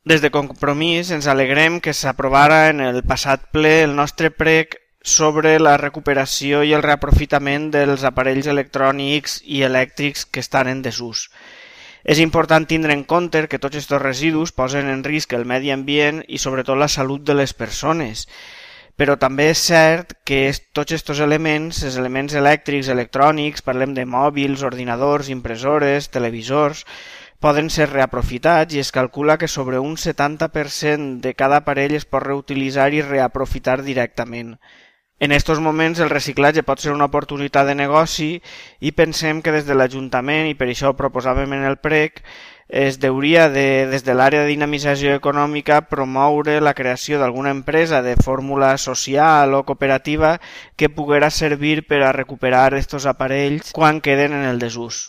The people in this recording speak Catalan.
Des de Compromís ens alegrem que s'aprovara en el passat ple el nostre prec sobre la recuperació i el reaprofitament dels aparells electrònics i elèctrics que estan en desús. És important tindre en compte que tots aquests residus posen en risc el medi ambient i sobretot la salut de les persones. Però també és cert que tots aquests elements, els elements elèctrics, electrònics, parlem de mòbils, ordinadors, impressores, televisors, poden ser reaprofitats i es calcula que sobre un 70% de cada aparell es pot reutilitzar i reaprofitar directament. En aquests moments el reciclatge pot ser una oportunitat de negoci i pensem que des de l'Ajuntament, i per això ho proposàvem en el prec, es deuria des de l'àrea de dinamització econòmica promoure la creació d'alguna empresa de fórmula social o cooperativa que poguera servir per a recuperar aquests aparells quan queden en el desús.